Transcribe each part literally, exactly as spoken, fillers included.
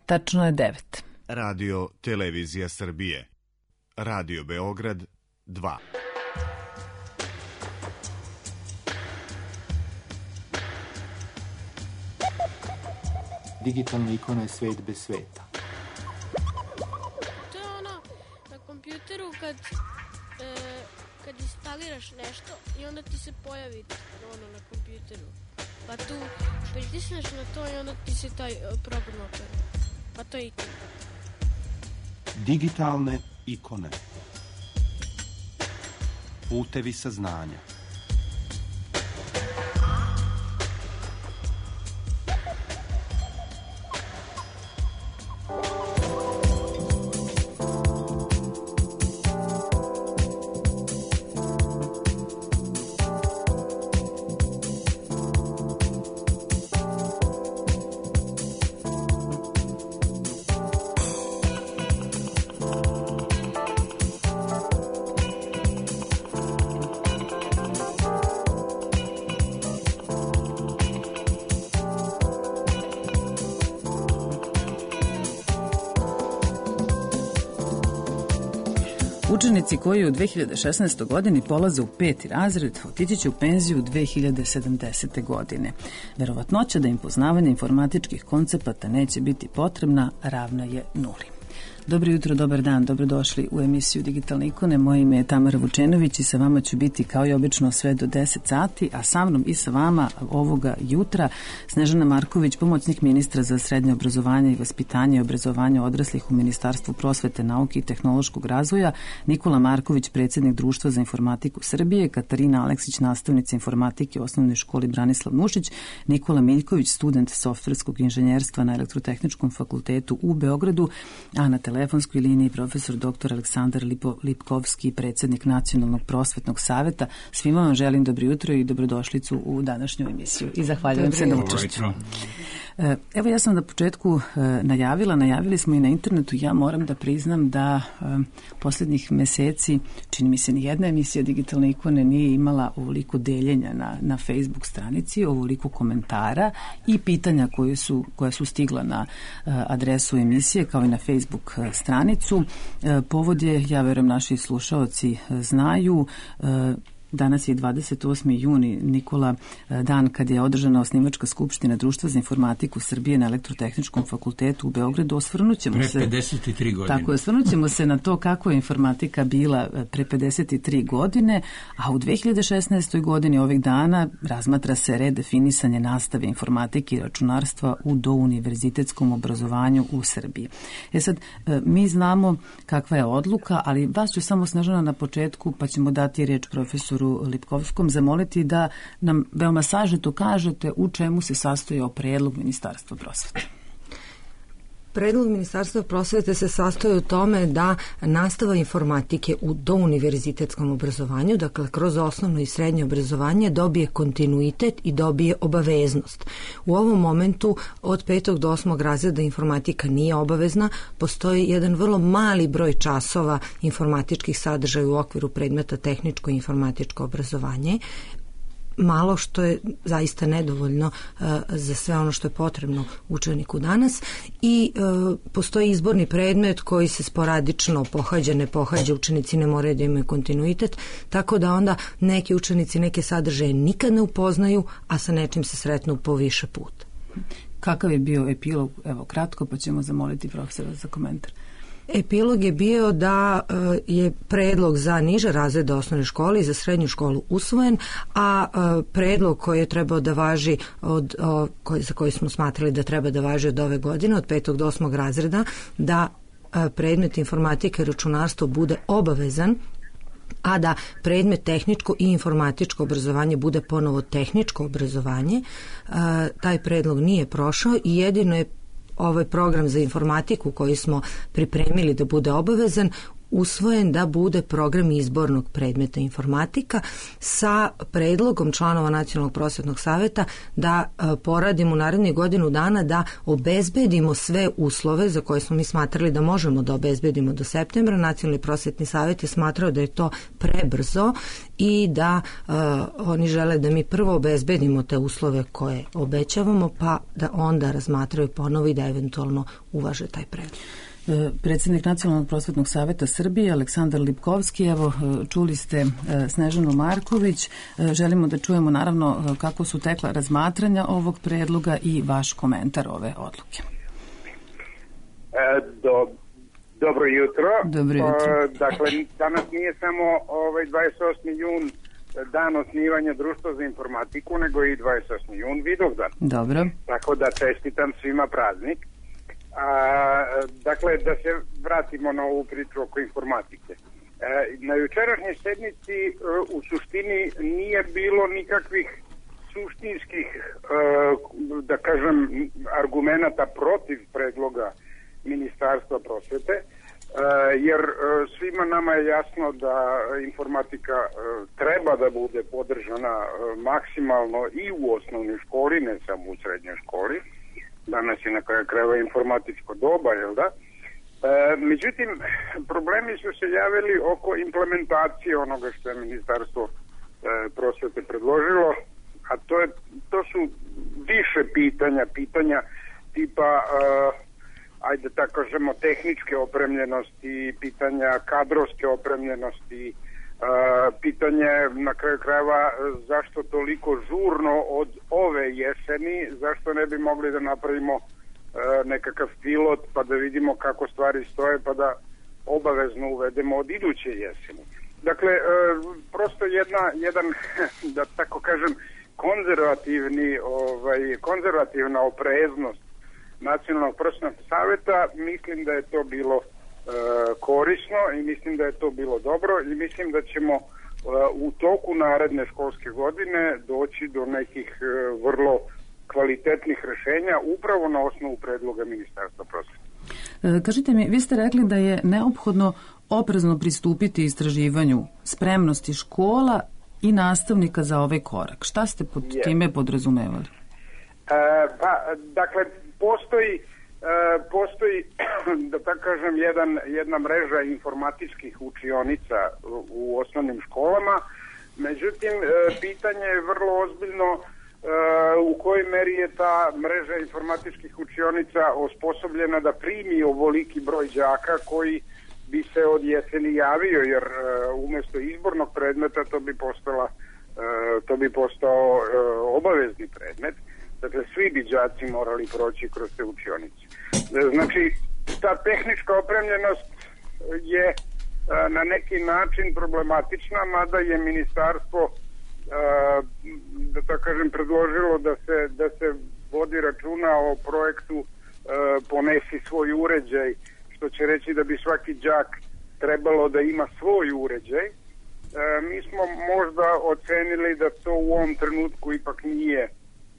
Tačno je devet. Radio Televizija Srbije. Radio Beograd dva. Digitalna ikona je svet bez sveta. To je ono na kompjuteru kad, e, kad instaliraš nešto i onda ti se pojavi ono na kompjuteru. Pa tu pritisneš na to i onda ti se taj program otvori. Pa to je ikona. Digitalne ikone. Putevi saznanja. Učenici koji u dve hiljade šesnaestoj. godini polaze u peti razred otići će u penziju dve hiljade sedamdesete. godine. Verovatnoća da im poznavanje informatičkih koncepata neće biti potrebna ravna je nuli. Dobro jutro, dobar dan, dobrodošli u emisiju Digitalne ikone. Moje ime je Tamara Vučenović i sa vama ću biti kao i obično sve do deset sati, a sa mnom i sa vama ovoga jutra Snežana Marković, pomoćnik ministra za srednje obrazovanje i vaspitanje i obrazovanje odraslih u Ministarstvu prosvete, nauke i tehnološkog razvoja, Nikola Marković, predsjednik Društva za informatiku Srbije, Katarina Aleksić, nastavnica informatike u osnovnoj školi Branislav Nušić, Nikola Miljković, student softverskog inženjerstva na Elektrotehničkom fakultetu u Beogradu, a na telefonskoj liniji profesor doktor Aleksandar Lipo, Lipkovski, predsjednik Nacionalnog prosvetnog saveta. Svima vam želim dobro jutro i dobrodošlicu u današnju emisiju i zahvaljujem se na učešću. Evo, ja sam na početku najavila, najavili smo i na internetu, ja moram da priznam da posljednjih meseci, čini mi se ni jedna emisija Digitalne ikone nije imala ovoliko deljenja na, na Facebook stranici, ovoliko komentara i pitanja koje su, koje su stigla na adresu emisije kao i na Facebook stranicu. Povod je, ja verujem naši slušaoci znaju, danas je dvadeset osmi juni, Nikola, dan kad je održana osnivačka skupština Društva za informatiku Srbije na Elektrotehničkom fakultetu u Beogradu. Osvrnut ćemo se... Pre pedeset tri godine. Tako, osvrnut ćemo se na to kako je informatika bila pre pedeset tri godine, a u dve hiljade šesnaestoj. godini ovih dana razmatra se redefinisanje nastave informatike i računarstva u douniverzitetskom obrazovanju u Srbiji. E sad, mi znamo kakva je odluka, ali vas ću samo, Snežana, na početku, pa ćemo dati reč profesoru Lipkovskom, zamoliti da nam veoma sažeto kažete u čemu se sastojao predlog Ministarstva prosvete. Predlog Ministarstva prosvete se sastoji u tome da nastava informatike u douniverzitetskom obrazovanju, dakle kroz osnovno i srednje obrazovanje, dobije kontinuitet i dobije obaveznost. U ovom momentu od petog do osmog razreda informatika nije obavezna, postoji jedan vrlo mali broj časova informatičkih sadržaja u okviru predmeta tehničko i informatičko obrazovanje, malo što je zaista nedovoljno uh, za sve ono što je potrebno učeniku danas i uh, postoji izborni predmet koji se sporadično pohađa, ne pohađa, učenici ne moraju da imaju kontinuitet, tako da onda neki učenici neke sadržaje nikad ne upoznaju, a sa nečim se sretnu po više puta. Kakav je bio epilog? Evo, kratko, pa ćemo zamoliti profesora za komentar. Epilog je bio da je predlog za niže razrede osnovne škole i za srednju školu usvojen, a predlog koji je trebao da važi od, za koji smo smatrali da treba da važi od ove godine, od petog do osmog razreda, da predmet informatike i računarstvo bude obavezan, a da predmet tehničko i informatičko obrazovanje bude ponovo tehničko obrazovanje. Taj predlog nije prošao i jedino je ovaj program za informatiku koji smo pripremili da bude obavezan usvojen da bude program izbornog predmeta informatika sa predlogom članova Nacionalnog prosvetnog saveta da poradimo u narednih godinu dana da obezbedimo sve uslove za koje smo mi smatrali da možemo da obezbedimo do septembra. Nacionalni prosvetni savet je smatrao da je to prebrzo i da uh, oni žele da mi prvo obezbedimo te uslove koje obećavamo, pa da onda razmatraju ponovo i da eventualno uvaže taj predlog. Predsjednik Nacionalnog prosvetnog saveta Srbije Aleksandar Lipkovski, evo čuli ste Snežanu Marković, želimo da čujemo naravno kako su tekla razmatranja ovog predloga i vaš komentar ove odluke. E, do, dobro jutro. Dobro jutro. O, dakle, danas nije samo ovaj dvadeset osmi jun dan osnivanja Društva za informatiku, nego i dvadeset osmi jun Vidovdan. Dobro. Tako da čestitam svima praznik. A, dakle, da se vratimo na ovu priču oko informatike. E, na jučerašnjoj sednici e, u suštini nije bilo nikakvih suštinskih, e, da kažem, argumenata protiv predloga Ministarstva prosvete, e, jer e, svima nama je jasno da informatika e, treba da bude podržana e, maksimalno i u osnovnoj školi, ne samo u srednjoj školi. Danas je na kraju krajeva informatičko doba, jel da? E, međutim, problemi su se javili oko implementacije onoga što je Ministarstvo e, prosvete predložilo, a to, je, to su više pitanja, pitanja tipa, e, ajde tako kažemo, tehničke opremljenosti, pitanja kadrovske opremljenosti, Uh, pitanje na kraju krajeva zašto toliko žurno od ove jeseni, zašto ne bi mogli da napravimo uh, nekakav pilot pa da vidimo kako stvari stoje pa da obavezno uvedemo od iduće jeseni. Dakle, uh, prosto jedna, jedan, da tako kažem, konzervativni, ovaj, konzervativna opreznost Nacionalnog prosvetnog saveta, mislim da je to bilo korisno i mislim da je to bilo dobro i mislim da ćemo u toku naredne školske godine doći do nekih vrlo kvalitetnih rešenja upravo na osnovu predloga Ministarstva prosvete. Kažite mi, vi ste rekli da je neophodno oprezno pristupiti istraživanju spremnosti škola i nastavnika za ovaj korak. Šta ste pod je. time podrazumevali? E, pa, dakle, postoji E, postoji, da tako kažem, jedan, jedna mreža informatičkih učionica u, u osnovnim školama. Međutim, e, pitanje je vrlo ozbiljno e, u kojoj meri je ta mreža informatičkih učionica osposobljena da primi ovoliki broj đaka koji bi se od jeseni javio, jer e, umjesto izbornog predmeta to bi postala, e, to bi postao e, obavezni predmet. Dakle, svi bi đaci morali proći kroz te učionice. Znači, ta tehnička opremljenost je a, na neki način problematična, mada je ministarstvo, a, da tako kažem, predložilo da se, da se vodi računa o projektu a, ponesi svoj uređaj, što će reći da bi svaki đak trebalo da ima svoj uređaj. A, mi smo možda ocenili da to u ovom trenutku ipak nije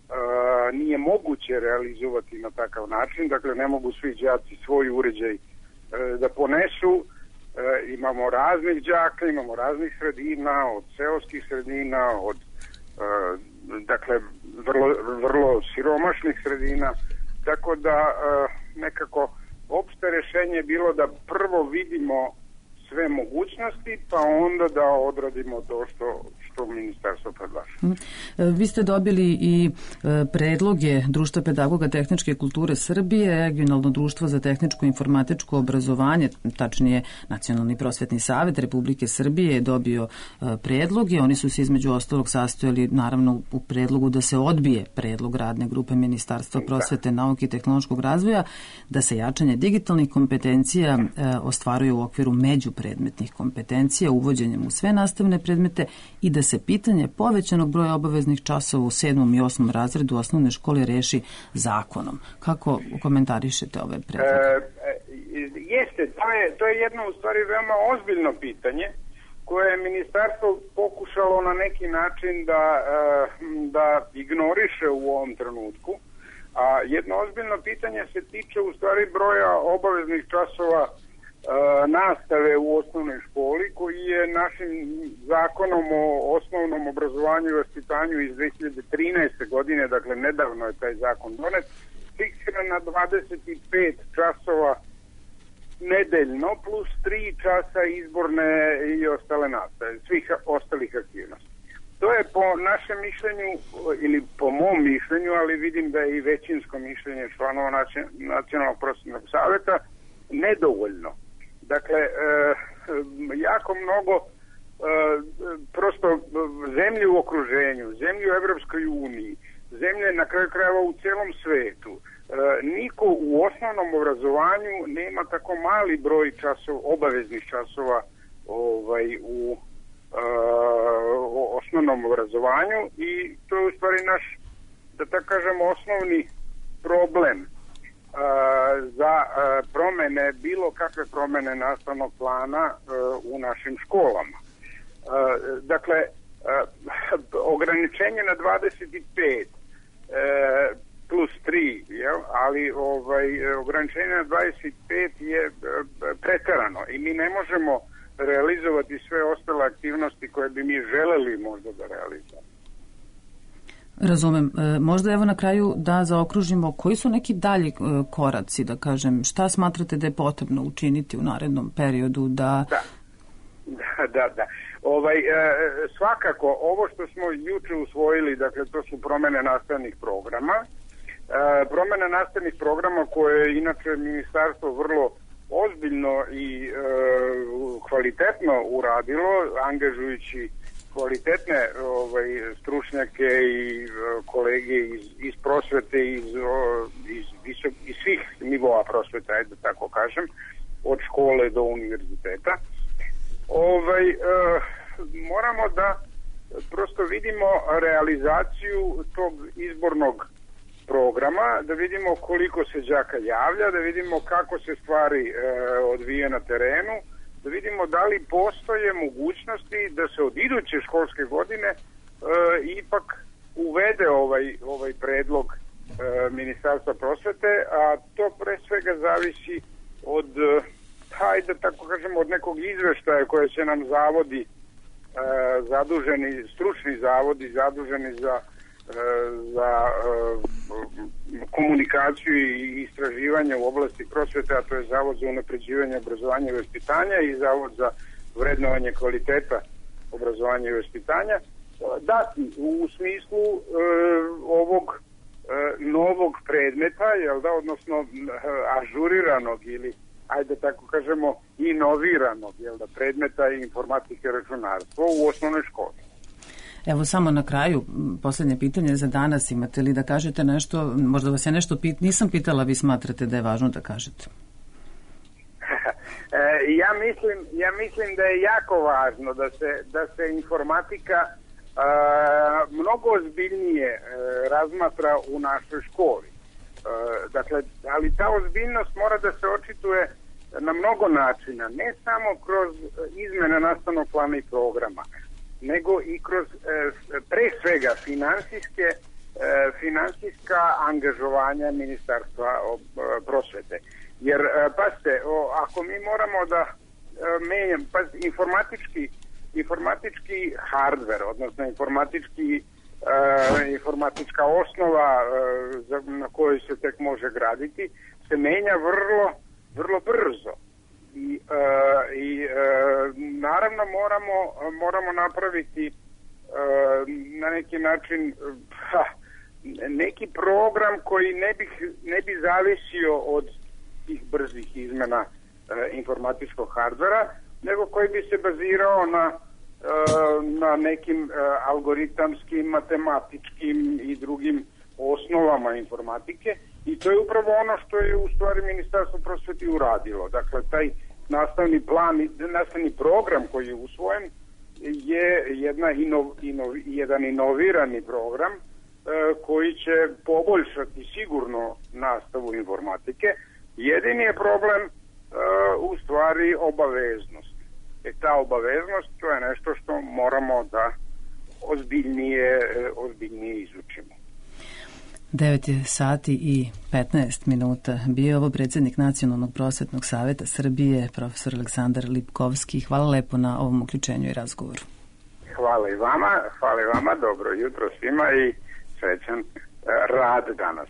Uh, nije moguće realizovati na takav način, dakle ne mogu svi đaci svoj uređaj uh, da ponesu. Uh, imamo raznih đaka, imamo raznih sredina, od seoskih sredina, od uh, dakle vrlo, vrlo siromašnih sredina, tako da uh, nekako opšte rešenje je bilo da prvo vidimo sve mogućnosti, pa onda da odradimo to što, što ministarstvo predlaže. Vi ste dobili i predloge Društva pedagoga tehničke kulture Srbije, Regionalno društvo za tehničko i informatičko obrazovanje, tačnije Nacionalni prosvetni savet Republike Srbije je dobio predloge. Oni su se između ostalog sastojali naravno u predlogu da se odbije predlog radne grupe Ministarstva prosvete, nauke i tehnološkog razvoja, da se jačanje digitalnih kompetencija ostvaruje u okviru međupredmetnih kompetencija uvođenjem u sve nastavne predmete i da se pitanje povećanog broja obaveznih časova u sedmom i osmom razredu osnovne škole reši zakonom. Kako komentarišete ove predloge? E, jeste, to je, to je jedno u stvari veoma ozbiljno pitanje koje je ministarstvo pokušalo na neki način da, da ignoriše u ovom trenutku. A jedno ozbiljno pitanje se tiče u stvari broja obaveznih časova nastave u osnovnoj školi, koji je našim zakonom o osnovnom obrazovanju i vaspitanju iz dve hiljade trinaeste. godine, dakle nedavno je taj zakon donet, fiksiran na dvadeset pet časova nedeljno plus tri časa izborne i ostale nastave, svih ostalih aktivnosti. To je po našem mišljenju, ili po mom mišljenju, ali vidim da je i većinsko mišljenje članova Nacionalnog prosvetnog saveta, nedovoljno. Dakle, e, jako mnogo e, prosto zemlje u okruženju, zemlje u Evropskoj uniji, zemlje na kraju krajeva u celom svetu, e, niko u osnovnom obrazovanju nema tako mali broj časova, obaveznih časova ovaj, u o osnovnom obrazovanju, i to je u stvari naš, da tako kažemo, osnovni problem uh, za uh, promene, bilo kakve promene nastavnog plana uh, u našim školama. Uh, dakle, uh, ograničenje na dvadeset pet uh, plus tri, jel? Ali ovaj, ograničenje na dvadeset pet je uh, preterano i mi ne možemo realizovati sve ostale aktivnosti koje bi mi želeli možda da realizujemo. Razumem. E, možda evo na kraju da zaokružimo koji su neki dalji e, koraci, da kažem, šta smatrate da je potrebno učiniti u narednom periodu da... Da, da, da. da. Ovaj, e, svakako, ovo što smo juče usvojili, dakle, to su promene nastavnih programa. E, promene nastavnih programa koje je inače ministarstvo vrlo ozbiljno i e, kvalitetno uradilo, angažujući kvalitetne ovaj, stručnjake i e, kolege iz, iz prosvete, iz, o, iz, visok, iz svih nivoa prosvete, ajde da tako kažem, od škole do univerziteta. Ovaj, e, moramo da prosto vidimo realizaciju tog izbornog programa, da vidimo koliko se đaka javlja, da vidimo kako se stvari e, odvije na terenu, da vidimo da li postoje mogućnosti da se od iduće školske godine e, ipak uvede ovaj, ovaj predlog e, Ministarstva prosvete, a to pre svega zavisi od, hajde tako kažemo, od nekog izveštaja koje će nam zavodi, e, zaduženi, stručni zavodi, zaduženi za za uh, komunikaciju i istraživanje u oblasti prosvete, a to je Zavod za unapređivanje obrazovanja i vaspitanja i Zavod za vrednovanje kvaliteta obrazovanja i vaspitanja, dati u smislu uh, ovog uh, novog predmeta, jel da, odnosno uh, ažuriranog ili, ajde tako kažemo, inoviranog, jel da, predmeta informatike i računarstva u osnovnoj školi. Evo samo na kraju, posljednje pitanje za danas, imate li da kažete nešto, možda vas ja nešto pit, nisam pitala, vi smatrate da je važno da kažete? ja, mislim, ja mislim da je jako važno da se, da se informatika a, mnogo ozbiljnije a, razmatra u našoj školi. A, dakle, ali ta ozbiljnost mora da se očituje na mnogo načina, ne samo kroz izmene nastavnog plana i programa, nego i kroz e, pre svega finansijske, e, finansijska angažovanja Ministarstva o, prosvete. Jer, e, pazite, o, ako mi moramo da e, menjam, pazite, informatički, informatički hardver, odnosno informatički, e, informatička osnova e, za, na kojoj se tek može graditi, se menja vrlo, vrlo brzo. I, uh, i uh, naravno moramo, moramo napraviti uh, na neki način ha, neki program koji ne bi, ne bi zavisio od tih brzih izmena uh, informatičkog hardvera, nego koji bi se bazirao na, uh, na nekim uh, algoritamskim, matematičkim i drugim osnovama informatike, i to je upravo ono što je u stvari Ministarstvo prosvete uradilo. Dakle, taj nastavni plan, nastavni program koji je usvojen je jedna inov, inov, jedan inovirani program e, koji će poboljšati sigurno nastavu informatike. Jedini je problem e, u stvari obaveznost. E ta obaveznost, to je nešto što moramo da ozbiljnije, ozbiljnije izučimo. devet je sati i petnaest minuta. Bio je ovo predsjednik Nacionalnog prosvetnog saveta Srbije, profesor Aleksandar Lipkovski. Hvala lepo na ovom uključenju i razgovoru. Hvala i vama, hvala i vama, dobro jutro svima i srećan rad danas.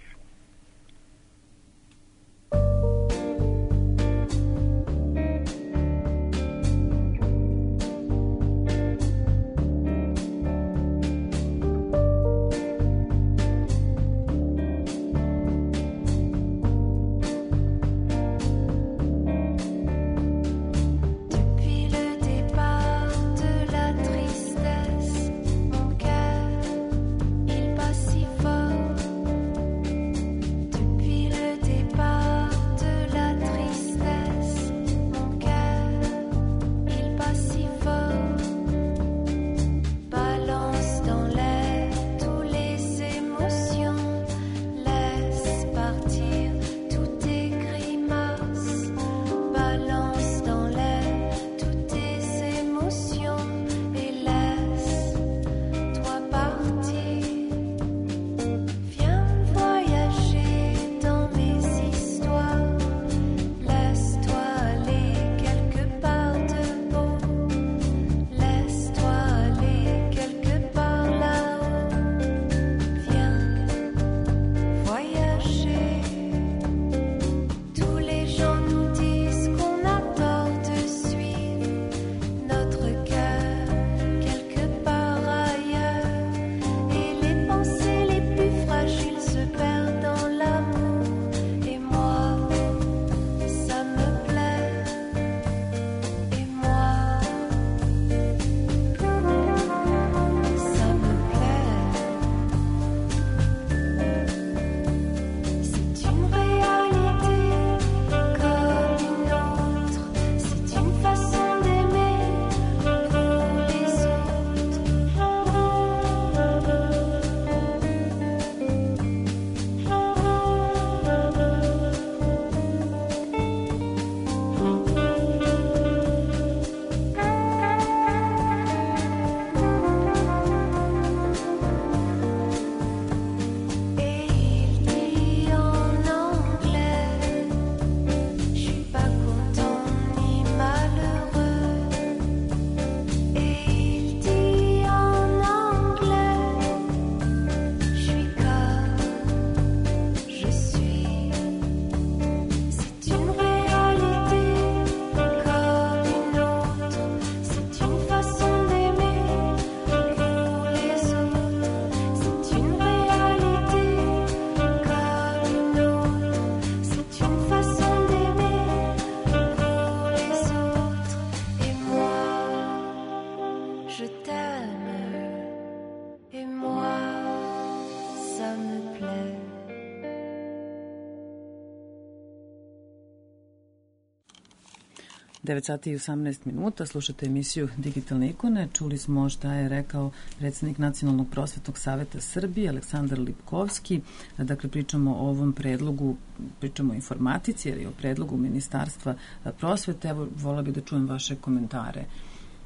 devet sati i osamnaest minuta, slušate emisiju Digitalne ikone. Čuli smo šta je rekao predsjednik Nacionalnog prosvetnog saveta Srbije, Aleksandar Lipkovski. Dakle, pričamo o ovom predlogu, pričamo o informatici, ili o predlogu Ministarstva prosvete. Evo, vola bih da čujem vaše komentare.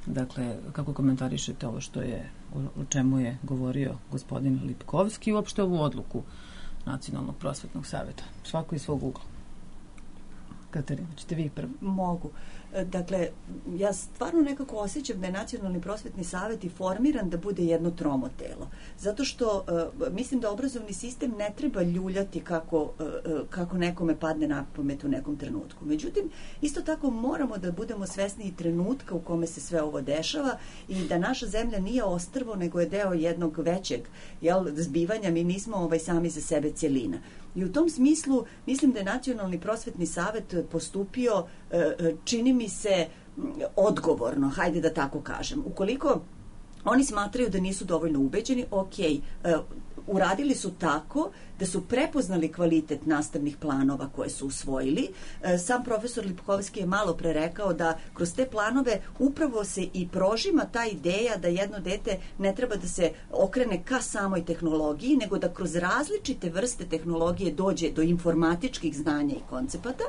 Dakle, kako komentarišete ovo što je, o čemu je govorio gospodin Lipkovski i uopšte ovu odluku Nacionalnog prosvetnog saveta? Svako iz svog ugla. Katarina, ćete vi prvo? Mogu. Dakle, ja stvarno nekako osjećam da je Nacionalni prosvetni savet i formiran da bude jedno tromo telo. Zato što uh, mislim da obrazovni sistem ne treba ljuljati kako, uh, kako nekome padne na pamet u nekom trenutku. Međutim, isto tako moramo da budemo svesni i trenutka u kome se sve ovo dešava i da naša zemlja nije ostrvo, nego je deo jednog većeg jel, zbivanja. Mi nismo ovaj, sami za sebe cjelina. I u tom smislu mislim da je Nacionalni prosvetni savet postupio, čini mi se, odgovorno, hajde da tako kažem. Ukoliko oni smatraju da nisu dovoljno ubeđeni, ok, uradili su tako da su prepoznali kvalitet nastavnih planova koje su usvojili. Sam profesor Lipkovski je malo pre rekao da kroz te planove upravo se i prožima ta ideja da jedno dete ne treba da se okrene ka samoj tehnologiji, nego da kroz različite vrste tehnologije dođe do informatičkih znanja i koncepata,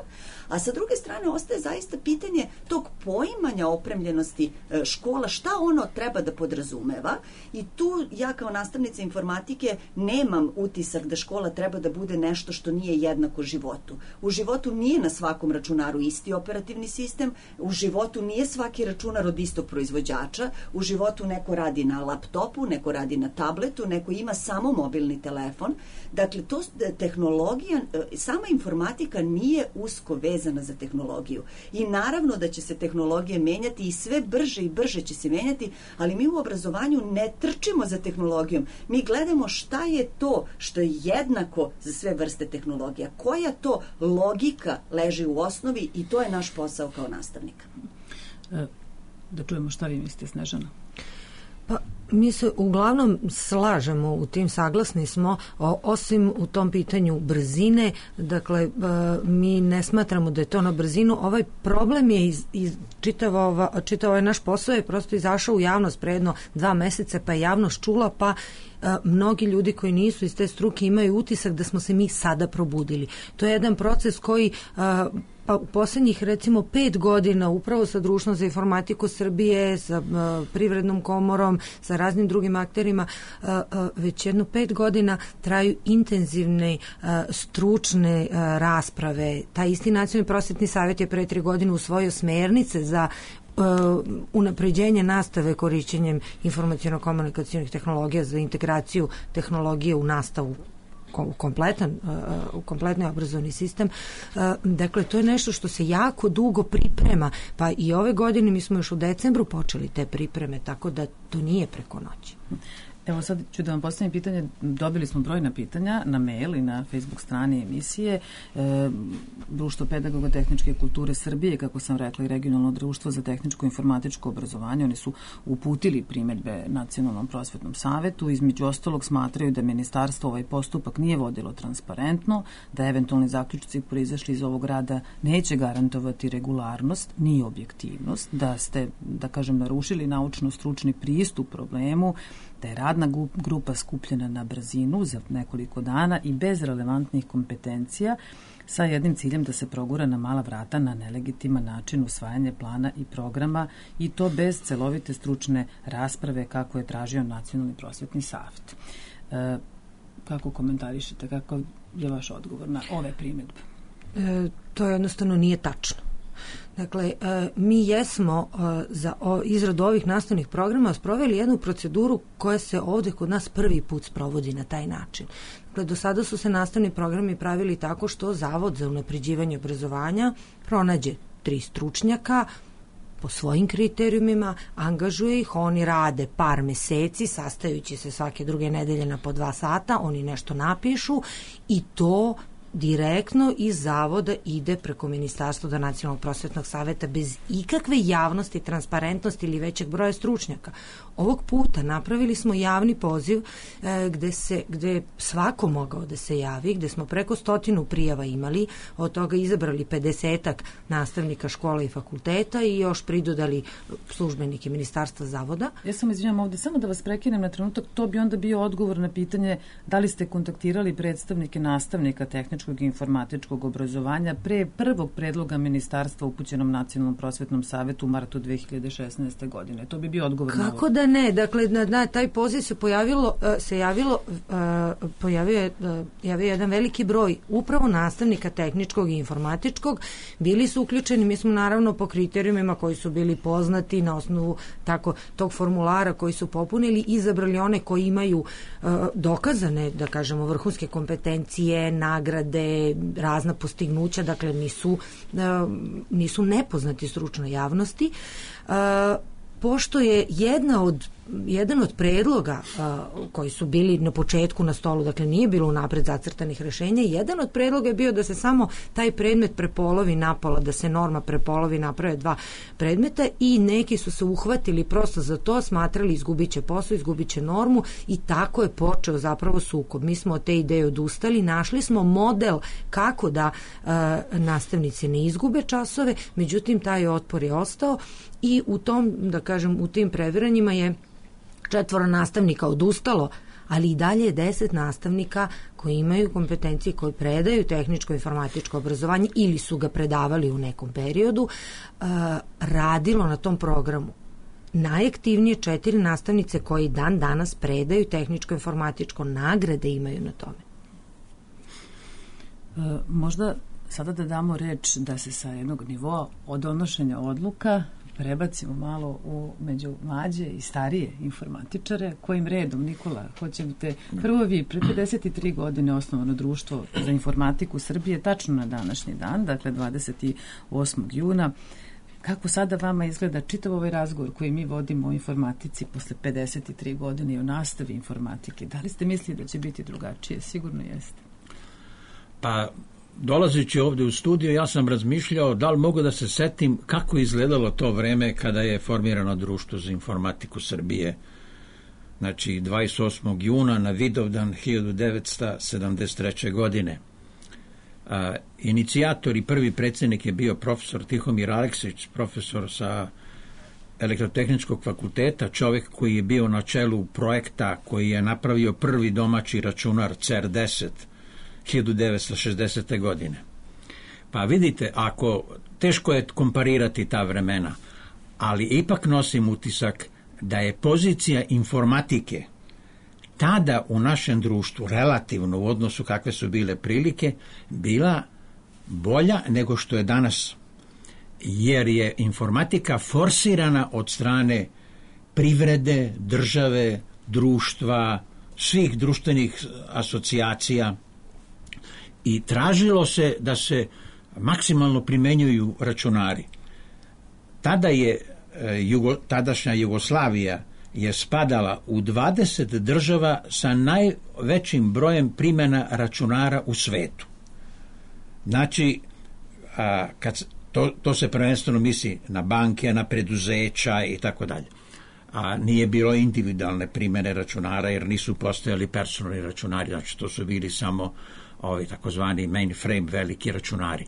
a sa druge strane ostaje zaista pitanje tog poimanja opremljenosti škola, šta ono treba da podrazumeva, i tu ja kao nastavnica informatike nemam utisak da škola treba da bude nešto što nije jednako životu. U životu nije na svakom računaru isti operativni sistem, u životu nije svaki računar od istog proizvođača, u životu neko radi na laptopu, neko radi na tabletu, neko ima samo mobilni telefon. Dakle, to tehnologija, sama informatika nije usko vezana za tehnologiju. I naravno da će se tehnologije menjati i sve brže i brže će se menjati, ali mi u obrazovanju ne trčimo za tehnologijom. Mi gledamo šta je to što je jednako za sve vrste tehnologija. Koja to logika leži u osnovi i to je naš posao kao nastavnika. Da čujemo šta vi mislite, Snežana. Pa, mi se uglavnom slažemo u tim, saglasni smo, o, osim u tom pitanju brzine, dakle, e, mi ne smatramo da je to na brzinu. Ovaj problem je iz, iz čitava, čitava ovaj naš posao je prosto izašao u javnost pre jedno dva meseca, pa je javnost čula, pa a, mnogi ljudi koji nisu iz te struke imaju utisak da smo se mi sada probudili. To je jedan proces koji a, pa u poslednjih recimo pet godina upravo sa Društvom za informatiku Srbije, sa uh, Privrednom komorom, sa raznim drugim akterima, uh, uh, već jedno pet godina traju intenzivne uh, stručne uh, rasprave. Taj isti Nacionalni prosvetni savjet je pre tri godine usvojio smernice za Uh, unapređenje nastave korišćenjem informaciono-komunikacijnih tehnologija za integraciju tehnologije u nastavu u kompletan, uh, u kompletni obrazovni sistem. Uh, dakle, to je nešto što se jako dugo priprema, pa i ove godine mi smo još u decembru počeli te pripreme, tako da to nije preko noći. Evo sad ću da vam postavim pitanje, dobili smo brojna pitanja na mail i na Facebook strani emisije. E, Društvo pedagoga tehničke kulture Srbije, kako sam rekla, i Regionalno društvo za tehničko informatičko obrazovanje, oni su uputili primedbe Nacionalnom prosvetnom savetu. Između ostalog smatraju da ministarstvo ovaj postupak nije vodilo transparentno, da eventualni zaključci proizašli iz ovog rada neće garantovati regularnost ni objektivnost, da ste, da kažem, narušili naučno-stručni pristup problemu, da je radna grupa skupljena na brzinu za nekoliko dana i bez relevantnih kompetencija sa jednim ciljem da se progura na mala vrata na nelegitiman način usvajanje plana i programa i to bez celovite stručne rasprave kako je tražio Nacionalni prosvetni savet. E, kako komentarišete, kako je vaš odgovor na ove primjedbe? E, to jednostavno nije tačno. Dakle, mi jesmo za izradu ovih nastavnih programa sproveli jednu proceduru koja se ovde kod nas prvi put sprovodi na taj način. Dakle, do sada su se nastavni programi pravili tako što Zavod za unapređivanje obrazovanja pronađe tri stručnjaka po svojim kriterijumima, angažuje ih, oni rade par meseci, sastajući se svake druge nedelje na po dva sata, oni nešto napišu i to direktno iz zavoda ide preko Ministarstva do Nacionalnog prosvetnog saveta bez ikakve javnosti, transparentnosti ili većeg broja stručnjaka. Ovog puta napravili smo javni poziv e, gde se, gde je svako mogao da se javi, gde smo preko stotinu prijava imali, od toga izabrali pedesetak nastavnika škola i fakulteta i još pridodali službenike Ministarstva zavoda. Ja sam izvinjam ovde, samo da vas prekinem na trenutak, to bi onda bio odgovor na pitanje da li ste kontaktirali predstavnike nastavnika tehničkog i informatičkog obrazovanja pre prvog predloga ministarstva upućenom Nacionalnom prosvetnom savetu u martu dve hiljade šesnaeste. godine. To bi bio odgovor na ovo. Kako da ne? Dakle, na, na taj poziv se pojavilo, se javilo, uh, pojavio je uh, javio jedan veliki broj upravo nastavnika tehničkog i informatičkog. Bili su uključeni, mi smo naravno po kriterijumima koji su bili poznati na osnovu tako tog formulara koji su popunili, izabrali one koji imaju uh, dokazane, da kažemo, vrhunske kompetencije, nagrade, razna postignuća, dakle nisu, uh, nisu nepoznati stručnoj javnosti. Uh, pošto je jedna od jedan od predloga uh, koji su bili na početku na stolu, dakle nije bilo unapred zacrtanih rešenja, jedan od predloga je bio da se samo taj predmet prepolovi napola, da se norma prepolovi, naprave dva predmeta i neki su se uhvatili prosto za to, smatrali izgubit će posao, izgubit će normu i tako je počeo zapravo sukob. Mi smo od te ideje odustali, našli smo model kako da uh, nastavnici ne izgube časove, međutim taj otpor je ostao i u tom, da kažem, u tim previranjima je četvoro nastavnika odustalo, ali i dalje je deset nastavnika koji imaju kompetencije, koji predaju tehničko informatičko obrazovanje ili su ga predavali u nekom periodu, uh, radilo na tom programu. najaktivnije četiri nastavnice koji dan danas predaju tehničko-informatičko, nagrade imaju na tome. E, možda sada da damo reč da se sa jednog nivoa od donošenja odluka prebacimo malo u među mlađe i starije informatičare. Kojim redom, Nikola, hoćete prvo vi, pre pedeset tri godine osnovano društvo za informatiku Srbije, tačno na današnji dan, dakle dvadeset osmog juna. Kako sada vama izgleda čitav ovaj razgovor koji mi vodimo o informatici posle pedeset tri godine i o nastavi informatike? Da li ste mislili da će biti drugačije? Sigurno jeste. Pa, dolazeći ovde u studio, ja sam razmišljao da li mogu da se setim kako je izgledalo to vreme kada je formirano društvo za informatiku Srbije. Znači, dvadeset osmog juna na Vidovdan hiljadu devetsto sedamdeset treće. godine. A, inicijator i prvi predsjednik je bio profesor Tihomir Aleksić, profesor sa Elektrotehničkog fakulteta, čovjek koji je bio na čelu projekta koji je napravio prvi domaći računar C E R deset hiljadu devetsto šezdesete. godine. Pa vidite, ako teško je komparirati ta vremena, ali ipak nosim utisak da je pozicija informatike tada u našem društvu, relativno u odnosu kakve su bile prilike, bila bolja nego što je danas. Jer je informatika forsirana od strane privrede, države, društva, svih društvenih asocijacija i tražilo se da se maksimalno primenjuju računari. Tada je Jugo, tadašnja Jugoslavija je spadala u dvadeset država sa najvećim brojem primjena računara u svetu. Znači, a, kad, to, to se prvenstveno misli na banke, na preduzeća i tako dalje. A nije bilo individualne primjene računara jer nisu postojali personalni računari, znači to su bili samo ovi takozvani mainframe veliki računari.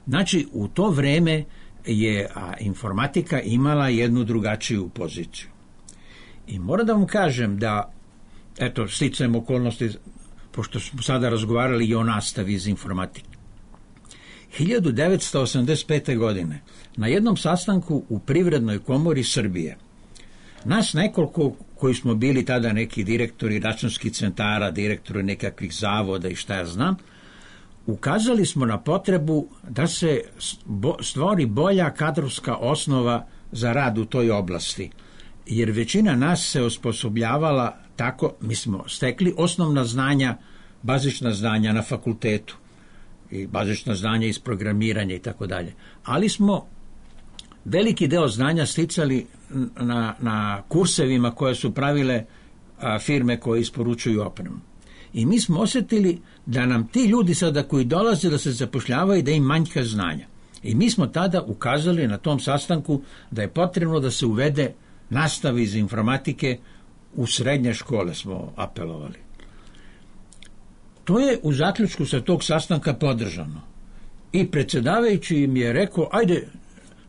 Znači, u to vreme je a, informatika imala jednu drugačiju poziciju. I moram da vam kažem da, eto, sticajem okolnosti, pošto smo sada razgovarali i o nastavi iz informatike. hiljadu devetsto osamdeset pete. godine na jednom sastanku u Privrednoj komori Srbije, nas nekoliko koji smo bili tada neki direktori računskih centara, direktori nekakvih zavoda i šta ja znam, ukazali smo na potrebu da se stvori bolja kadrovska osnova za rad u toj oblasti. Jer većina nas se osposobljavala tako, mi smo stekli osnovna znanja, bazična znanja na fakultetu i bazična znanja iz programiranja i tako dalje. Ali smo veliki deo znanja sticali na, na kursevima koje su pravile a, firme koje isporučuju opremu. I mi smo osjetili da nam ti ljudi sada koji dolaze da se zapošljavaju da im manjka znanja. I mi smo tada ukazali na tom sastanku da je potrebno da se uvede nastava iz informatike u srednje škole, smo apelovali. To je u zaključku sa tog sastanka podržano. I predsjedavajući mi je rekao, ajde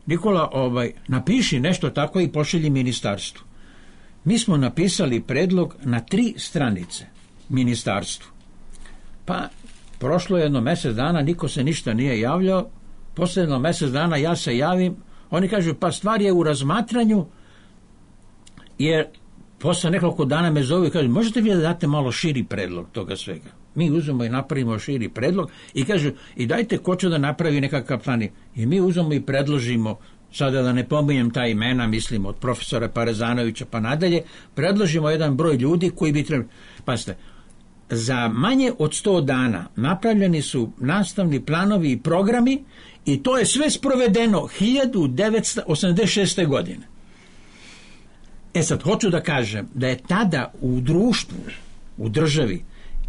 Nikola, ovaj, napiši nešto tako i pošalji ministarstvu. Mi smo napisali predlog na tri stranice ministarstvu. Pa prošlo jedno mjesec dana, niko se ništa nije javljao. Posle jedno mjesec dana ja se javim, oni kažu pa stvar je u razmatranju, jer posle nekoliko dana me zovu i kažu možete vi da date malo širi predlog toga svega. Mi uzmemo i napravimo širi predlog i kažu i dajte ko će da napravi nekakav plan. I mi uzmemo i predložimo, sada da ne pominjem ta imena, mislim od profesora Parezanovića pa nadalje, predložimo jedan broj ljudi koji bi trebali. Pazite, za manje od sto dana napravljeni su nastavni planovi i programi i to je sve sprovedeno hiljadu devetsto osamdeset šeste. godine. E sad, hoću da kažem da je tada u društvu, u državi,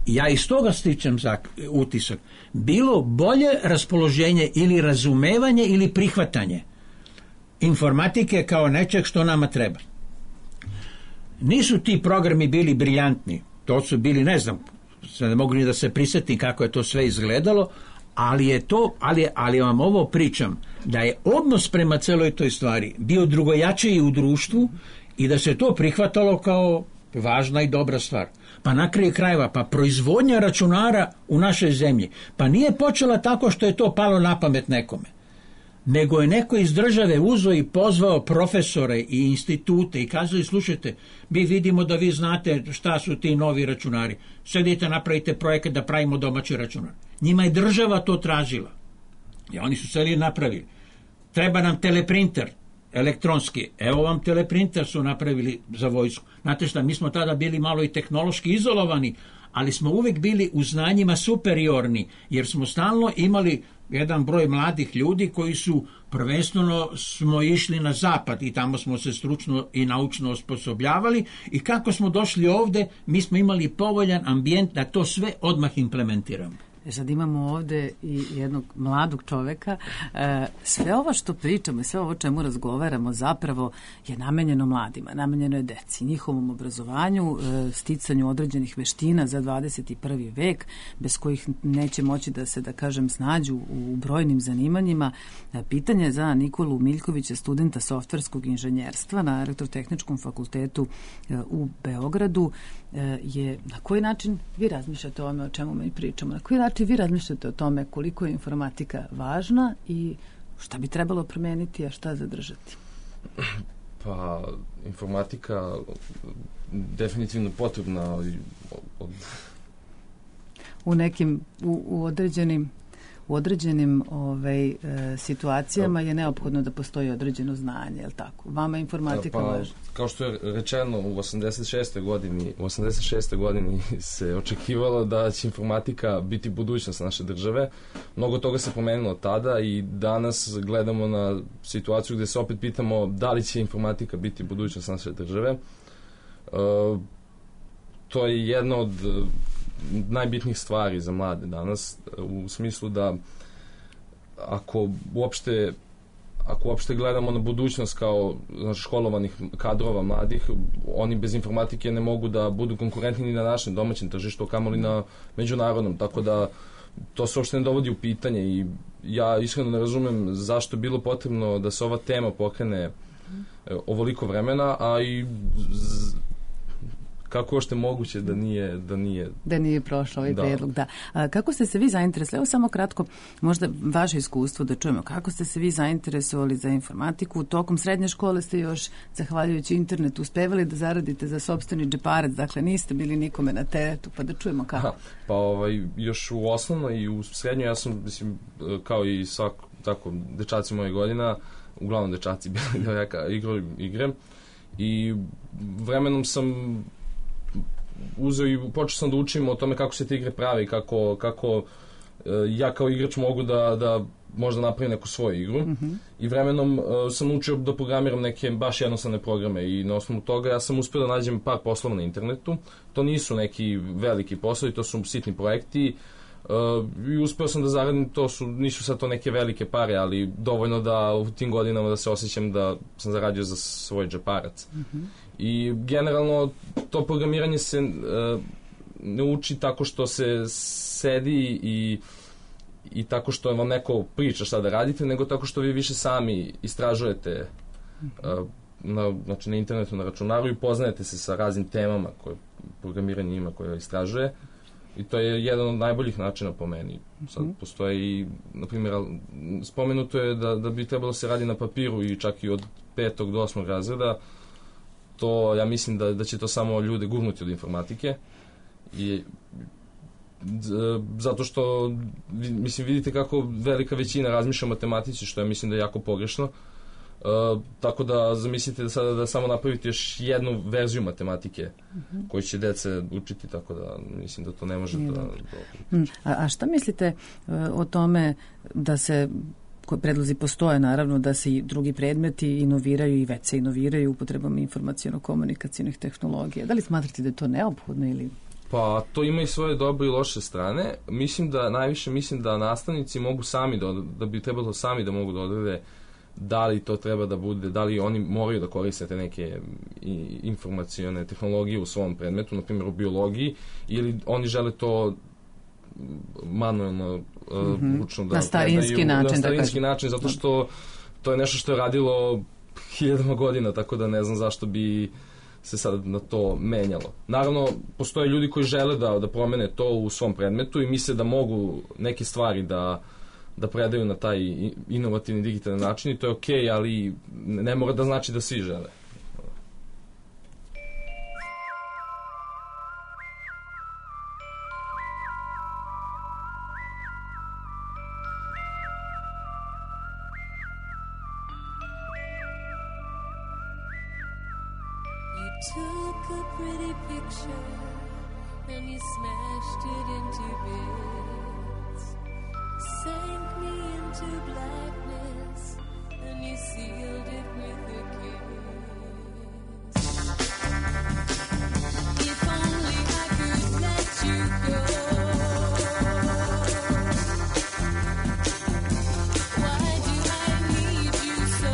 ja iz toga stičem za utisak, bilo bolje raspoloženje ili razumevanje ili prihvatanje informatike kao nečeg što nama treba. Nisu ti programi bili briljantni, to su bili, ne znam, ne mogu ni da se prisjetim kako je to sve izgledalo, ali je to, ali, ali vam ovo pričam, da je odnos prema celoj toj stvari bio drugojačiji u društvu i da se to prihvatalo kao važna i dobra stvar. Pa na kraju krajeva, pa proizvodnja računara u našoj zemlji, pa nije počela tako što je to palo na pamet nekome. nego je neko iz države uzeo i pozvao profesore i institute i kazali, slušajte, mi vidimo da vi znate šta su ti novi računari. Sedite, napravite projekat da pravimo domaći računar. Njima je država to tražila. I oni su seli napravili. Treba nam teleprinter, elektronski. Evo vam teleprinter su napravili za vojsku. Znate šta, mi smo tada bili malo i tehnološki izolovani, ali smo uvek bili u znanjima superiorni, jer smo stalno imali jedan broj mladih ljudi koji su prvenstveno smo išli na zapad i tamo smo se stručno i naučno osposobljavali i kako smo došli ovde, mi smo imali povoljan ambijent da to sve odmah implementiramo. E sad imamo ovde i jednog mladog čoveka. E, sve ovo što pričamo i sve ovo čemu razgovaramo zapravo je namenjeno mladima, namenjeno je deci, njihovom obrazovanju, e, sticanju određenih veština za dvadeset i prvi vek, bez kojih neće moći da se, da kažem, snađu u brojnim zanimanjima. E, pitanje za Nikolu Miljkovića, studenta softverskog inženjerstva na Elektrotehničkom fakultetu e, u Beogradu, e, je na koji način vi razmišljate o ome o čemu mi pričamo, na koji način vi razmišljate o tome koliko je informatika važna i šta bi trebalo promeniti, a šta zadržati? Pa, informatika definitivno potrebna od... u nekim, u, u određenim u određenim ovaj, e, situacijama je neophodno da postoji određeno znanje, je li tako? Vama je informatika pa, važna. Kao što je rečeno, u osamdeset šestoj godini, u osamdeset šestoj godini se očekivalo da će informatika biti budućnost naše države. Mnogo toga se promenilo tada i danas gledamo na situaciju gde se opet pitamo da li će informatika biti budućnost naše države. E, to je jedna od najbitnijih stvari za mlade danas, u smislu da ako uopšte ako uopšte gledamo na budućnost kao znači, školovanih kadrova mladih, oni bez informatike ne mogu da budu konkurentni ni na našem domaćem tržištu, kamoli na međunarodnom, tako da to se uopšte ne dovodi u pitanje i ja iskreno ne razumem zašto je bilo potrebno da se ova tema pokrene ovoliko vremena, a i z, kako ošte moguće da nije da nije da nije prošao ovaj predlog, da. A, kako ste se vi zainteresovali, evo samo kratko, možda vaše iskustvo da čujemo, kako ste se vi zainteresovali za informatiku? Tokom srednje škole ste još, zahvaljujući internetu, uspevali da zaradite za sopstveni džeparac, dakle niste bili nikome na teretu, pa da čujemo kako. Aha, pa ovaj, još u osnovnoj i u srednjoj, ja sam, mislim, kao i svak, tako, dečaci moje godina, uglavnom dečaci bili devojaka, igrali igre i vremenom sam uzeo i počeo sam da učim o tome kako se te igre prave i kako, kako e, ja kao igrač mogu da, da možda napravim neku svoju igru. Mm-hmm. I vremenom e, sam učio da programiram neke baš jednostavne programe i na osnovu toga ja sam uspio da nađem par poslova na internetu. To nisu neki veliki poslovi, to su sitni projekti e, i uspio sam da zaradim, to su, nisu sad to neke velike pare, ali dovoljno da u tim godinama da se osjećam da sam zaradio za svoj džeparac. Mm-hmm. I generalno to programiranje se uh, ne uči tako što se sedi i, i tako što vam neko priča šta da radite, nego tako što vi više sami istražujete uh, na, znači na internetu, na računaru i poznajete se sa raznim temama koje programiranje ima, koje istražuje. I to je jedan od najboljih načina po meni. Sad postoje i, na primjer, spomenuto je da, da bi trebalo se radi na papiru i čak i od petog do osmog razreda. To, ja mislim da, da će to samo ljude gurnuti od informatike i zato što mislim vidite kako velika većina razmišlja o matematici, što ja mislim da je jako pogrešno. Uh, tako da zamislite da sada da samo napravite još jednu verziju matematike uh-huh. koju će dece učiti, tako da mislim da to ne može da... da... A, a šta mislite uh, o tome da se predlozi postoje, naravno, da se i drugi predmeti inoviraju i već se inoviraju upotrebom informacijono-komunikacijnih tehnologija. Da li smatrate da je to neophodno ili... Pa to ima i svoje dobre i loše strane. Mislim da, najviše mislim da nastavnici mogu sami, da, da bi trebalo sami da mogu da odrede da li to treba da bude, da li oni moraju da koriste te neke informacione tehnologije u svom predmetu, na primjer u biologiji, ili oni žele to manuelno, mm-hmm. ručno da na starinski predaju, način, na starinski da način, zato što to je nešto što je radilo hiljadama godina, tako da ne znam zašto bi se sad na to menjalo. Naravno, postoje ljudi koji žele da, da promene to u svom predmetu i misle da mogu neke stvari da da predaju na taj inovativni digitalni način i to je okej, okay, ali ne mora da znači da svi žele. Took a pretty picture and you smashed it into bits, sank me into blackness and you sealed it with a kiss. If only I could let you go. Why do I need you so?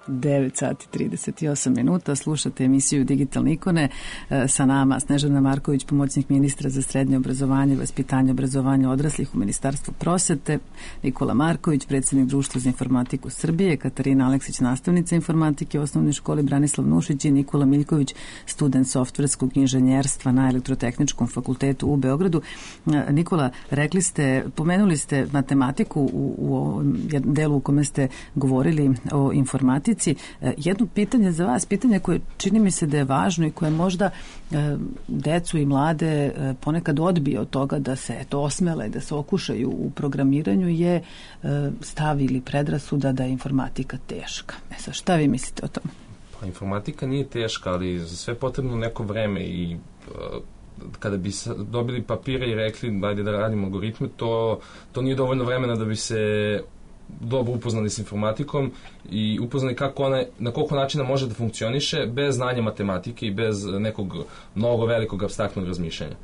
devet sati trideset osam minuta, slušate emisiju Digitalne ikone, sa nama Snežana Marković, pomoćnik ministra za srednje obrazovanje, vaspitanje, obrazovanje odraslih u Ministarstvu prosvete, Nikola Marković, predsjednik Društva za informatiku Srbije, Katarina Aleksić, nastavnica informatike u osnovnoj školi Branislav Nušić i Nikola Miljković, student softverskog inženjerstva na Elektrotehničkom fakultetu u Beogradu. Nikola, rekli ste, pomenuli ste matematiku u, u ovom delu u kome ste govorili o informatici. Jedno pitanje za vas, pitanje koje čini mi se da je važno i koje možda decu i mlade ponekad odbije od toga da se eto osmele, da se okušaju u programiranju, je stav ili predrasuda da je informatika teška. E sad, šta vi mislite o tome? Pa informatika nije teška, ali za sve potrebno neko vreme i kada bi dobili papire i rekli ajde da radimo algoritme, to, to nije dovoljno vremena da bi se dobro upoznani s informatikom i upoznani kako ona, na koliko načina može da funkcioniše bez znanja matematike i bez nekog mnogo velikog apstraktnog razmišljanja.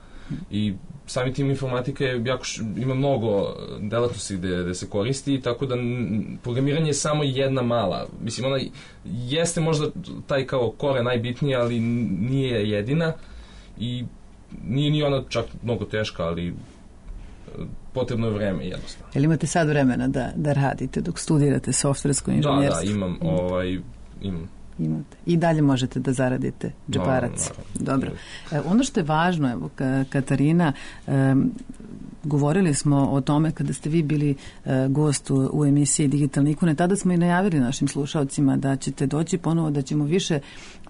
I sami tim informatika je jako, ima mnogo delatnosti gde, gde se koristi, tako da n, programiranje je samo jedna mala. Mislim, ona jeste možda taj kao kore najbitnija, ali nije jedina i nije ni ona čak mnogo teška, ali potrebno je vreme jednostavno. Jel imate sad vremena da, da radite dok studirate softversko inženjerstvo? Da, da, imam, ovaj, imam. Imate. I dalje možete da zaradite džeparac. Dobro. E, ono što je važno, evo, Katarina, e, govorili smo o tome kada ste vi bili e, gost u, u emisiji Digitalne ikone, tada smo i najavili našim slušalcima da ćete doći ponovo, da ćemo više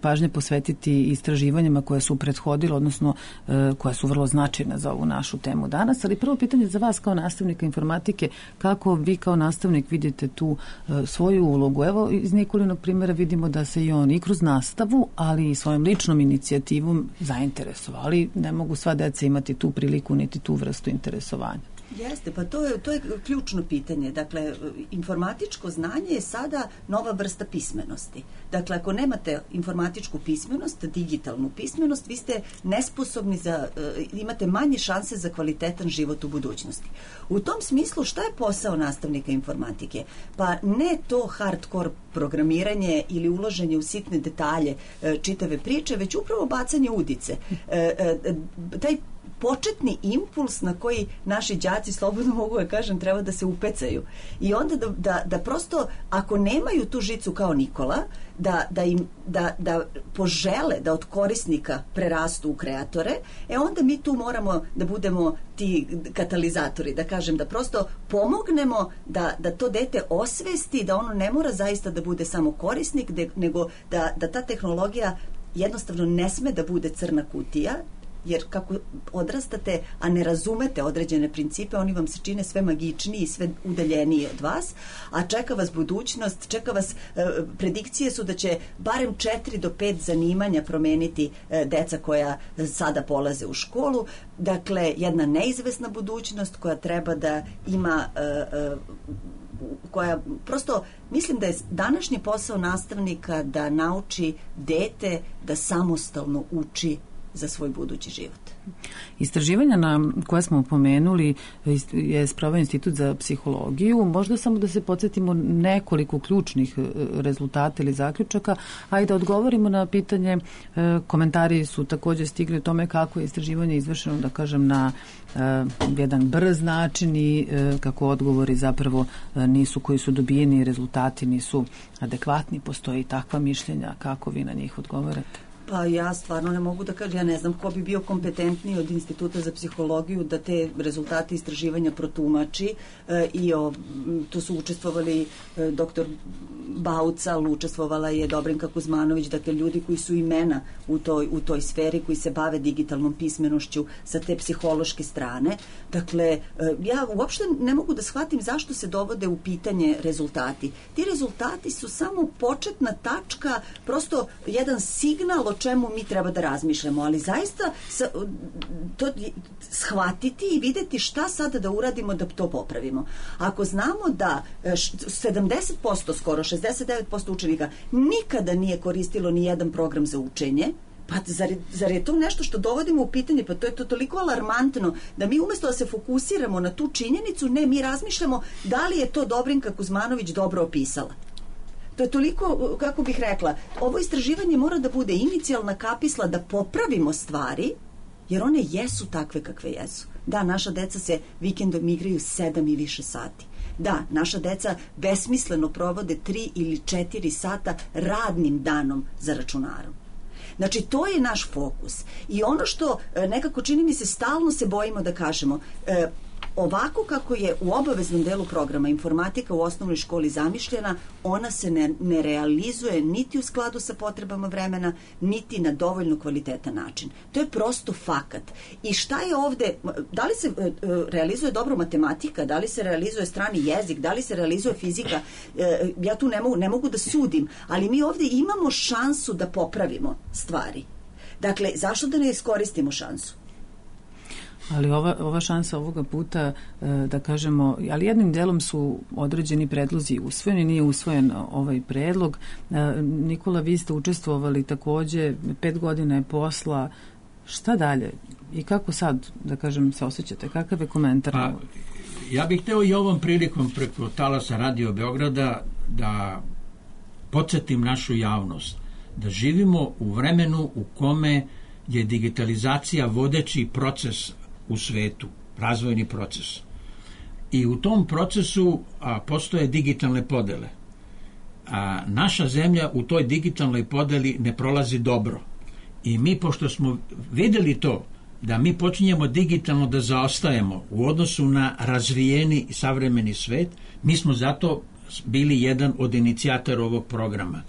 pažnje posvetiti istraživanjima koje su prethodile, odnosno e, koja su vrlo značajna za ovu našu temu danas. Ali prvo pitanje za vas kao nastavnika informatike, kako vi kao nastavnik vidite tu e, svoju ulogu? Evo, iz Nikolinog primjera vidimo da se i on i kroz nastavu, ali i svojom ličnom inicijativom zainteresovali. Ne mogu sva deca imati tu priliku niti tu vrstu interesovanja. Jeste, pa to je, to je ključno pitanje. Dakle, informatičko znanje je sada nova vrsta pismenosti. Dakle, ako nemate informatičku pismenost, digitalnu pismenost, vi ste nesposobni za, imate manje šanse za kvalitetan život u budućnosti. U tom smislu, šta je posao nastavnika informatike? Pa ne to hardcore programiranje ili ulaženje u sitne detalje čitave priče, već upravo bacanje udice. Taj početni impuls na koji naši đaci, slobodno mogu da kažem, treba da se upecaju. I onda da, da, da prosto, ako nemaju tu žicu kao Nikola, da, da im da, da požele da od korisnika prerastu u kreatore, e onda mi tu moramo da budemo ti katalizatori, da kažem, da prosto pomognemo da, da to dete osvesti, da ono ne mora zaista da bude samo korisnik, de, nego da, da ta tehnologija jednostavno ne sme da bude crna kutija, jer kako odrastate, a ne razumete određene principe, oni vam se čine sve magičniji i sve udaljeniji od vas, a čeka vas budućnost, čeka vas, e, predikcije su da će barem četiri do pet zanimanja promeniti e, deca koja sada polaze u školu. Dakle, jedna neizvesna budućnost koja treba da ima e, e, koja prosto, mislim da je današnji posao nastavnika da nauči dete da samostalno uči za svoj budući život. Istraživanja na koje smo pomenuli je sproveo Institut za psihologiju. Možda samo da se podsjetimo nekoliko ključnih rezultata ili zaključaka, a i da odgovorimo na pitanje. Komentari su također stigli o tome kako je istraživanje izvršeno, da kažem, na jedan brz način i kako odgovori zapravo nisu, koji su dobijeni, rezultati nisu adekvatni. Postoji takva mišljenja, kako vi na njih odgovorate? Pa ja stvarno ne mogu da kažem, ja ne znam ko bi bio kompetentniji od Instituta za psihologiju da te rezultate istraživanja protumači e, i o, tu su učestvovali e, doktor Baucal, učestvovala je Dobrinka Kuzmanović, dakle ljudi koji su imena u toj, u toj sferi, koji se bave digitalnom pismenošću sa te psihološke strane. Dakle, e, ja uopšte ne mogu da shvatim zašto se dovode u pitanje rezultati. Ti rezultati su samo početna tačka, prosto jedan signal o čemu mi treba da razmišljamo, ali zaista sa, to shvatiti i videti šta sada da uradimo da to popravimo. Ako znamo da sedamdeset posto, skoro šezdeset devet posto učenika nikada nije koristilo ni jedan program za učenje, pa zar, zar je to nešto što dovodimo u pitanje? Pa to je to toliko alarmantno da mi umesto da se fokusiramo na tu činjenicu, ne, mi razmišljamo da li je to Dobrinka Kuzmanović dobro opisala. To je toliko, kako bih rekla, ovo istraživanje mora da bude inicijalna kapisla da popravimo stvari, jer one jesu takve kakve jesu. Da, naša deca se vikendom igraju sedam i više sati. Da, naša deca besmisleno provode tri ili četiri sata radnim danom za računarom. Znači, to je naš fokus. I ono što nekako čini mi se stalno se bojimo da kažemo, e, ovako kako je u obaveznom delu programa informatika u osnovnoj školi zamišljena, ona se ne, ne realizuje niti u skladu sa potrebama vremena, niti na dovoljno kvalitetan način. To je prosto fakat. I šta je ovde, da li se e, realizuje dobro matematika, da li se realizuje strani jezik, da li se realizuje fizika, e, ja tu ne mogu, ne mogu da sudim, ali mi ovde imamo šansu da popravimo stvari. Dakle, zašto da ne iskoristimo šansu? Ali ova, ova šansa ovoga puta, e, da kažemo, ali jednim delom su određeni predlozi usvojeni, nije usvojen ovaj predlog. E, Nikola, vi ste učestvovali takođe, pet godina je posla. Šta dalje? I kako sad, da kažem, se osjećate? Kakav je komentar? Pa, ja bih hteo i ovom prilikom preko talasa Radio Beograda da podsjetim našu javnost da živimo u vremenu u kome je digitalizacija vodeći proces u svetu, razvojni proces. I u tom procesu a, postoje digitalne podele. A, naša zemlja u toj digitalnoj podeli ne prolazi dobro. I mi, pošto smo videli to, da mi počinjemo digitalno da zaostajemo u odnosu na razvijeni savremeni svet, mi smo zato bili jedan od inicijatora ovog programa.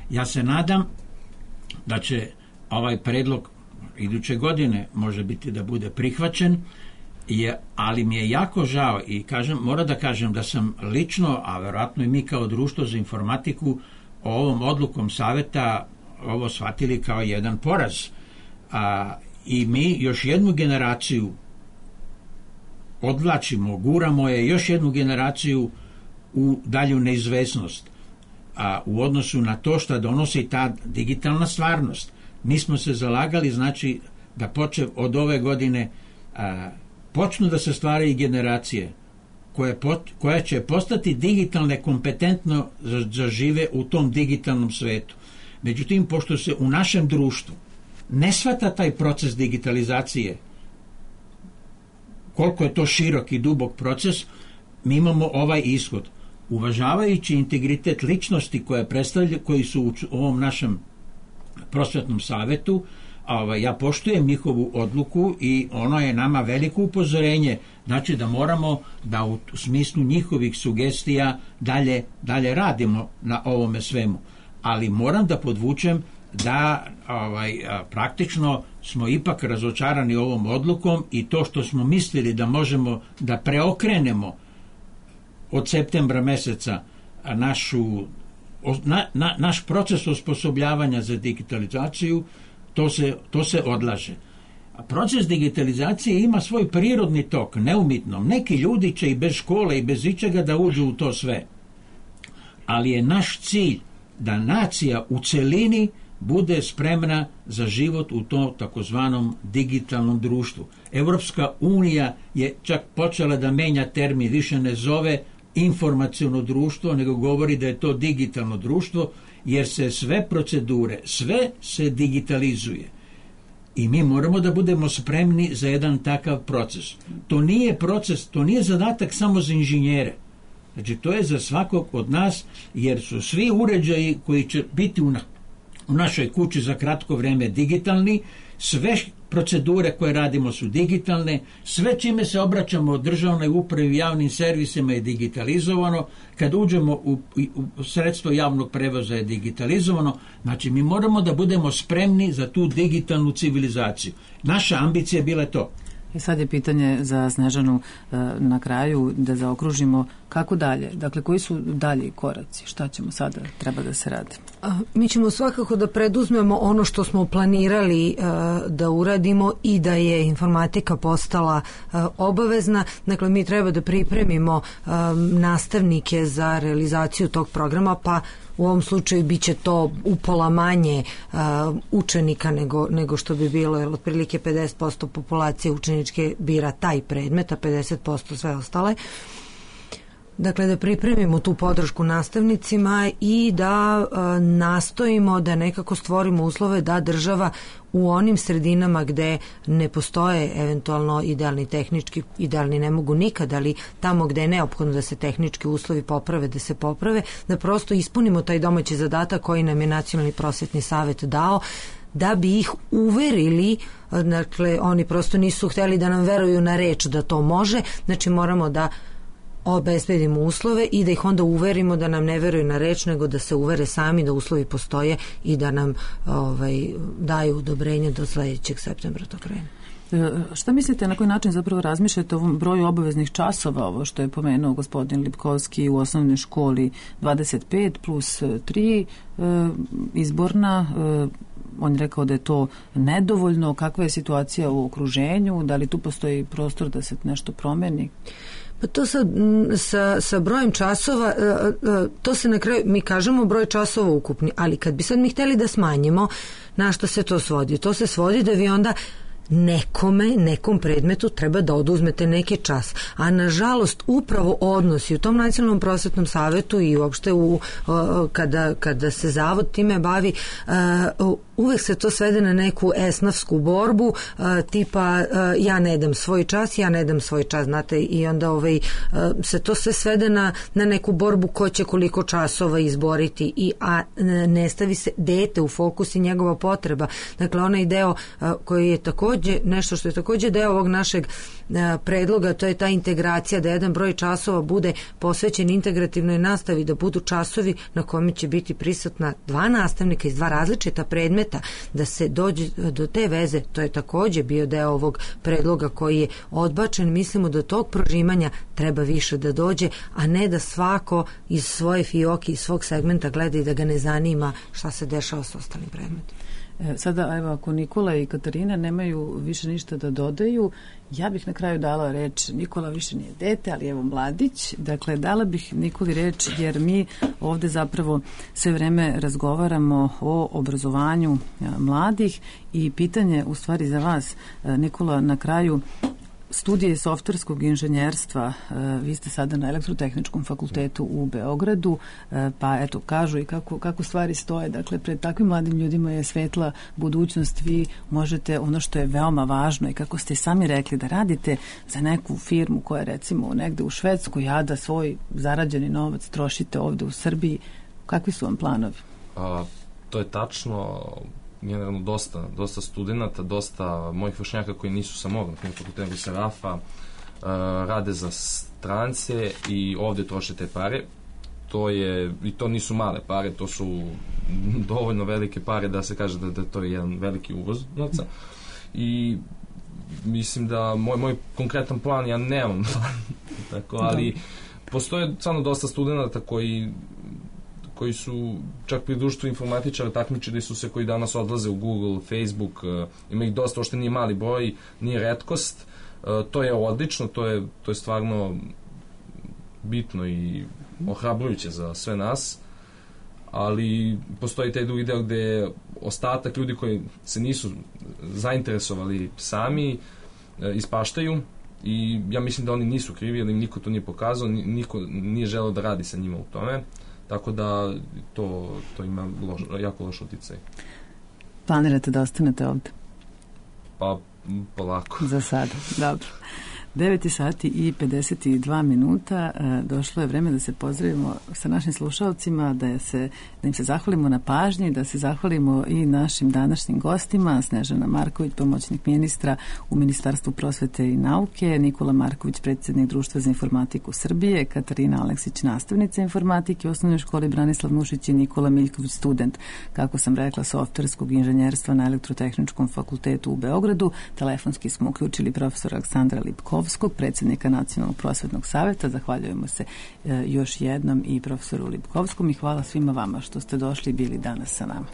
Ja se nadam da će ovaj predlog iduće godine može biti da bude prihvaćen, je, ali mi je jako žao i kažem, mora da kažem da sam lično, a verovatno i mi kao društvo za informatiku, ovom odlukom saveta ovo shvatili kao jedan poraz. A, I mi još jednu generaciju odvlačimo, guramo je još jednu generaciju u dalju neizvesnost, a u odnosu na to što donosi ta digitalna stvarnost. Mi smo se zalagali, znači, da počev od ove godine a, počnu da se stvaraju generacije koje, pot, koje će postati digitalne kompetentno za, za žive u tom digitalnom svetu. Međutim, pošto se u našem društvu ne shvata taj proces digitalizacije, koliko je to širok i dubok proces, mi imamo ovaj ishod. Uvažavajući integritet ličnosti koje predstavljaju, koji su u ovom našem prosvetnom savetu, ovaj, ja poštujem njihovu odluku i ono je nama veliko upozorenje, znači da moramo da u smislu njihovih sugestija dalje, dalje radimo na ovome svemu. Ali moram da podvučem da ovaj, praktično smo ipak razočarani ovom odlukom i to što smo mislili da možemo da preokrenemo od septembra meseca našu, na, na, naš proces osposobljavanja za digitalizaciju, to se, to se odlaže. A proces digitalizacije ima svoj prirodni tok, neumitno. Neki ljudi će i bez škole i bez ičega da uđu u to sve. Ali je naš cilj da nacija u celini bude spremna za život u tom takozvanom digitalnom društvu. Evropska unija je čak počela da menja termin, više ne zove informaciono društvo, nego govori da je to digitalno društvo, jer se sve procedure, sve se digitalizuje. I mi moramo da budemo spremni za jedan takav proces. To nije proces, to nije zadatak samo za inženjere. Znači, to je za svakog od nas, jer su svi uređaji koji će biti u, na, u našoj kući za kratko vreme digitalni, sve procedure koje radimo su digitalne, sve čime se obraćamo od državnoj upravi i javnim servisima je digitalizovano, kad uđemo u, u sredstvo javnog prevoza je digitalizovano, znači mi moramo da budemo spremni za tu digitalnu civilizaciju. Naša ambicija je bila to. I sad je pitanje za Snežanu na kraju da zaokružimo kako dalje, dakle koji su dalji koraci, šta ćemo sada treba da se radi? Mi ćemo svakako da preduzmemo ono što smo planirali da uradimo i da je informatika postala obavezna, dakle mi treba da pripremimo nastavnike za realizaciju tog programa, pa u ovom slučaju bit će to upola manje uh, učenika nego, nego što bi bilo, jer otprilike pedeset posto populacije učeničke bira taj predmet, a pedeset posto sve ostale. Dakle, da pripremimo tu podršku nastavnicima i da uh, nastojimo da nekako stvorimo uslove da država u onim sredinama gde ne postoje eventualno idealni tehnički, idealni ne mogu nikad, ali tamo gde je neophodno da se tehnički uslovi poprave, da se poprave, da prosto ispunimo taj domaći zadatak koji nam je Nacionalni prosvetni savet dao, da bi ih uverili, dakle, oni prosto nisu hteli da nam veruju na reč da to može, znači moramo da obezbedimo uslove i da ih onda uverimo da nam ne veruju na reč, nego da se uvere sami da uslovi postoje i da nam ovaj, daju odobrenje do sledećeg septembra to krene. Šta mislite, na koji način zapravo razmišljate o ovom broju obaveznih časova, ovo što je pomenuo gospodin Lipkovski u osnovnoj školi dvadeset pet plus tri izborna, on je rekao da je to nedovoljno. Kakva je situacija u okruženju? Da li tu postoji prostor da se nešto promeni? Pa to sa, sa, sa brojem časova, to se na kraju, mi kažemo broj časova ukupni, ali kad bi sad mi hteli da smanjimo, na što se to svodi? To se svodi da vi onda nekome, nekom predmetu treba da oduzmete neki čas. A nažalost upravo odnosi u tom Nacionalnom prosvetnom savetu i uopšte u, kada, kada se zavod time bavi, uvek se to svede na neku esnafsku borbu, tipa ja ne dam svoj čas, ja ne dam svoj čas, znate, i onda ovaj, se to sve svede na, na neku borbu ko će koliko časova izboriti, i, a ne stavi se dete u fokus i njegova potreba. Dakle, onaj deo koji je takođe nešto što je takođe deo ovog našeg predloga, to je ta integracija, da jedan broj časova bude posvećen integrativnoj nastavi, da budu časovi na kome će biti prisutna dva nastavnika iz dva različita predmeta, da se dođe do te veze. To je takođe bio deo ovog predloga koji je odbačen. Mislimo da tog prožimanja treba više da dođe, a ne da svako iz svoje fioke, iz svog segmenta gleda i da ga ne zanima šta se dešava s ostalim predmetima. Sada, evo, ako Nikola i Katarina nemaju više ništa da dodaju, ja bih na kraju dala reč, Nikola više nije dete, ali evo mladić, dakle dala bih Nikoli reč, jer mi ovde zapravo sve vreme razgovaramo o obrazovanju mladih, i pitanje u stvari za vas, Nikola, na kraju, studije softverskog inženjerstva, vi ste sada na Elektrotehničkom fakultetu u Beogradu, pa eto, kažu i kako, kako stvari stoje. Dakle, pred takvim mladim ljudima je svetla budućnost. Vi možete, ono što je veoma važno i kako ste sami rekli, da radite za neku firmu koja je recimo negde u Švedskoj, a da svoj zarađeni novac trošite ovde u Srbiji. Kakvi su vam planovi? A, to je tačno. Generalno dosta, dosta studenta, dosta mojih vršnjaka koji nisu sa mog fakulteta, sa RAF-a, uh, rade za strance i ovde troše te pare. To je, i to nisu male pare, to su dovoljno velike pare da se kaže da, da to je jedan veliki uvoz novca. I mislim da moj, moj konkretan plan, ja nemam plan, tako, ali postoje stvarno dosta studenta koji koji su čak pri društvu informatičara takmičili su se, koji danas odlaze u Google, Facebook, uh, ima ih dosta, ošte nije mali broj, nije retkost, uh, to je odlično, to je, to je stvarno bitno i ohrabrujuće za sve nas, ali postoji taj drugi deo gde ostatak ljudi koji se nisu zainteresovali sami uh, ispaštaju, i ja mislim da oni nisu krivi, jer im niko to nije pokazao, niko nije želeo da radi sa njima u tome. Tako da to, to ima loš, jako loš uticaj. Planirate da ostanete ovde? Pa, polako. Za sada, dobro. devet sati i pedeset dva minuta. Došlo je vreme da se pozdravimo sa našim slušalcima, da, se, da im se zahvalimo na pažnji, da se zahvalimo i našim današnjim gostima, Snežana Marković, pomoćnik ministra u Ministarstvu prosvete i nauke, Nikola Marković, predsjednik Društva za informatiku Srbije, Katarina Aleksić, nastavnica informatike u osnovnoj školi Branislav Nušić, i Nikola Miljković, student, kako sam rekla, softverskog inženjerstva na Elektrotehničkom fakultetu u Beogradu. Telefonski smo uključili profesora Aleksandra Lipkov, predsjednika Nacionalnog prosvetnog saveta. Zahvaljujemo se e, još jednom i profesoru Lipkovskom, i hvala svima vama što ste došli i bili danas sa nama.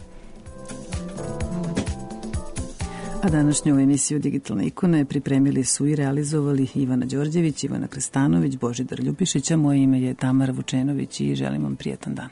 A današnju emisiju Digitalne ikone pripremili su i realizovali Ivana Đorđević, Ivana Krstanović, Božidar Ljubišić, a moje ime je Tamara Vučenović i želim vam prijetan dan.